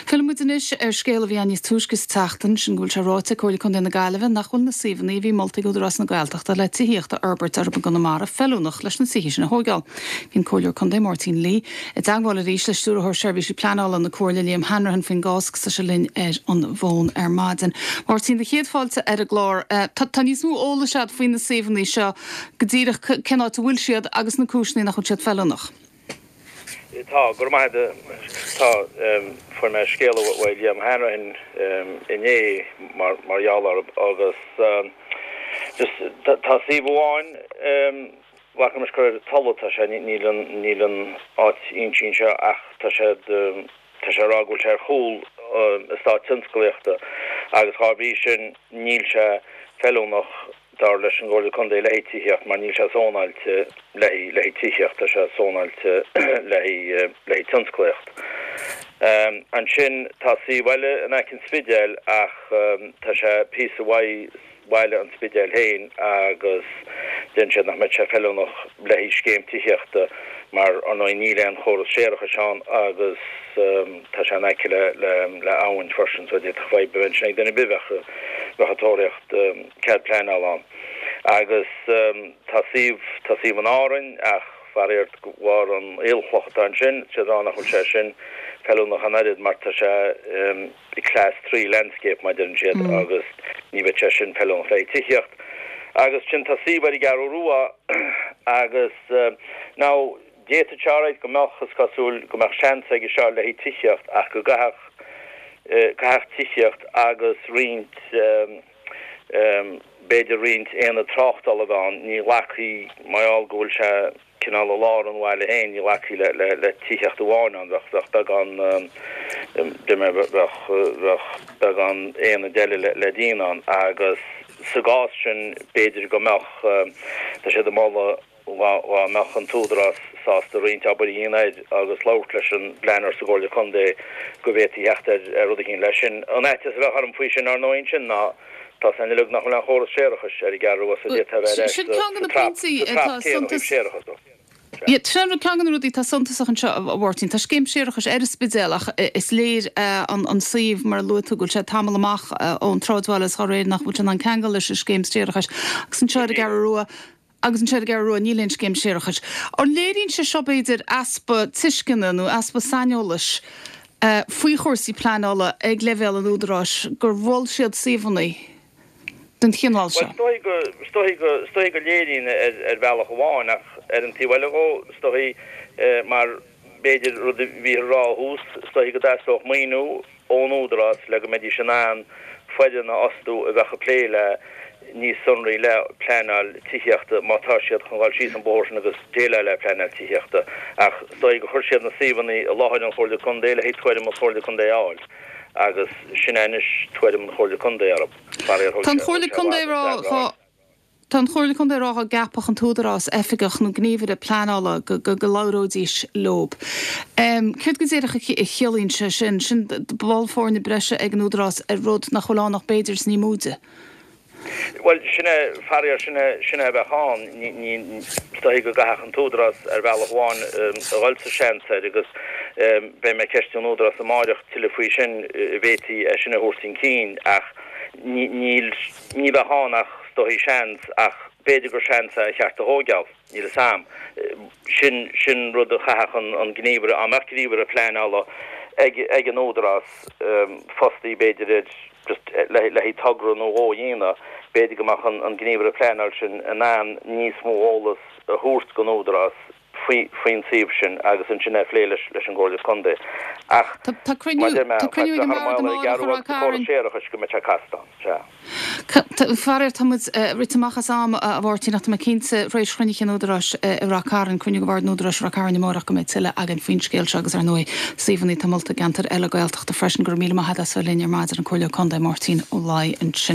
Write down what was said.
Fillfidh muid anois ar scéal a bhí ann níos túisce sa tseachtain, sin go bhfuil sé ráite ag Comhairle Contae na Gaillimhe nach bhfuil na suíomhanna a bhí molta ag Údarás na Gaeltachta le tithíocht a fhorbairt orthu i gConamara feiliúnach leis na tithe sin a thóigeáil. Bhí an Comhairleoir Contae Máirtín Lee i dteagmháil arís le Stiúrthóir Seirbhísí Pleanála na Comhairle Liam Hanrahan faoin gcás agus tá sé linn ar an bhfón ar maidin. Máirtín, do chéad fáilte ar an gclár. Tá níos mó eolais agat faoi na suíomhanna seo, go díreach cén áit a bhfuil siad agus na cúiseanna nach bhfuil siad feiliúnach. Tá, go raibh maith agat. Tá, fuair mé scéala uaidh Liam Hanrahan inné mar gheall orthu agus just tá suíomh amháin, bhfaca mise gur ar an Tulaigh atá sé, níl an, níl an áit inste anseo ach tá sé, tá sé ag rá go bhfuil sé ar chúl eastát tionsclaíochta agus dhá bhrí sin níl sé feiliúnach Dar leis an gComhairle Contae le haghaidh tithíocht mar níl sé zónáilte le haghaidh le haghaidh tithíocht, tá sé zónáilte le haghaidh le haghaidh tionsclaíocht. Ansin tá suíomh eile in aice an Spidéil ach tá sé píosa uaidh bhaile an Spidéil féin agus deireann siad nach mbeadh sé feiliúnach le haghaidh scéim tithíochta mar ar ndóigh níl aon chóras séarachais ann agus tá sé in aice le le abhainn freisin so d'fhéadfadh fadhb a bheith ansin ag duine ar bith a bheadh bheadh ag tóraíocht cead pleanála ann. Agus tá suíomh, tá suíomh in Árainn ach faraor de bharr an aolchloch atá ansin, tá siad ag rá nach bhfuil sé sin feiliúnach an oiread mar tá sé i class 3 landscape mar a deireann siad agus ní bheadh sé sin feiliúnach le haghaidh tithíocht. Agus ansin tá suíomh ar an gCeathrú Rua agus now d'fhéadfadh sé alright go mbeadh, is cosúil go mbeadh seans aige seo le haghaidh tithíocht ach go gcaithfeadh, caithfeadh tithíocht agus roinnt, b'fhéidir roinnt aonad tráchtála a bheith ann. Ní ghlacfaí, mar gheall go bhfuil sé cineál i lár an bhaile féin, ní ghlacfaí le le tithíocht amháin ann, bheadh bheadh beagán bheadh bheadh beagán aonaid eile le le déanamh ann agus sa gcás sin b'fhéidir go mbeadh, tá siad ag moladh, Dá mbeadh an tÚdarás sásta roinnt obair a dhéanamh air agus labhairt leis an bpleanálaí sa gComhairle Contae go bhféadfaí theacht ar rud eicínt leis sin. An fhaitíos a bheadh orm faoi sin ar ndóigh ansin ná tá 's againn uilig nach bhfuil aon chóras séarachais ar an gCeathrú Rua so d'fhéadfá a bheith ar ais Sin ceann de sa na trap pointí sa trap atá céanna ó thaobh suntas. séarachais dó. Sin ceann de na rudaí atá suntasach anseo, a Mháirtín. Tá scéim séarachais ar an Spidéal ach is léir an suíomh, mar a luaigh tú, go bhfuil sé tamall amach ón tsráidbhaile is dá réir nach bhfuil sé in ann ceangal leis an scéim séarachais. Agus anseo ar an gCeathrú Rua, Agus anseo ar an gCeathrú Rua níl aon scéim séarachais. An léiríonn sé seo, b'fhéidir, easpa tuisceana nó easpa saineolais faoi chúrsaí pleanála ag leibhéal an Údaráis gur mhol siad suíomhanna den chineál seo? Bhuel, is dóigh go, is dóigh go, is dóigh go léiríonn ar, ar bhealach amháin ach ar an taobh eile dhó, is dóigh, mar b'fhéidir rud a bhíothar a rá ó thús, is dóigh go dteastódh maoiniú ón Údarás le go mbeidís in ann foireann a fhostú a bheadh ag plé le níos sonraí le pleanáil tithíochta má tá siad chun dhul síos an bóthar sin agus déileáil le pleanáil tithíochta ach is dóigh gur chuir siad na suíomhanna i láthair an Chomhairle Contae le haghaidh tuairim an Chomhairle Contae a fháil agus sin é anois tuairim an Chomhairle Contae orthu. Faraor thug sé thug sé i bhfad an freagra a fháil. Tá an Chomhairle Contae ag rá dá gceapfadh an tÚdarás oifigeach nó gníomhaire pleanála go labhróidís leob. Céard go díreach a chiallaíonn sé sin? Sin ball foirne breise ag an Údarás ar rud nach bhfuil ann ach b'fhéidir is ní móide. Bhuel, sin é, faraor, sin é, sin é a bheadh ann. Ní, ní, is dóigh go gcaithfeadh an tÚdarás ar bhealach amháin a dhul sa seans air agus beidh mé ag ceistiú an Údarás amáireach tuilleadh faoi sin, an bhféadfaí é sin a thabhairt chun cinn ach ní, níl, Ní bheadh ann ach is dóigh seans, ach b'fhéidir gur seans é ar cheart a thóigeáil, níl 'fhios a'm. Sin, sin rud a chaithfeadh an, an gníomhaire, dá mbeadh gníomhaire pleanála ag, ag an Údarás, fostaí b'fhéidir ar just le, le haghaidh togra nó dhó a dhéanamh, b'fhéidir go mbeadh an, an gníomhaire pleanála sin in ann níos mó eolas a thabhairt don Údarás faoi, faoin suíomh sin agus ansin é a phlé leis, leis an gComhairle Contae. Ach Tá, tá cruinniú, mar a deir mé, tá cruinniú ag an thar mbord maoil ar amárach an a gCeathrú agus Ráth sa chóras Cairn. séarachais go mbeidh sé casta ann. Sea. Faraor, tá muid rite amach as am, a Mháirtín, ach tá mé cinnte, tar éis chruinnithe an Údaráis i Rath Cairn, cruinniú de Bhord an Údaráis i Rath Cairn amárach, go mbeidh tuilleadh againn faoin scéal seo agus, ar ndóigh, suíomhanna atá molta i gceantair eile Gaeltachta freisin. Go raibh míle maith agat as bheith linn ar maidin, an Comhairleoir Contae Máirtín Ó Laoi ansin.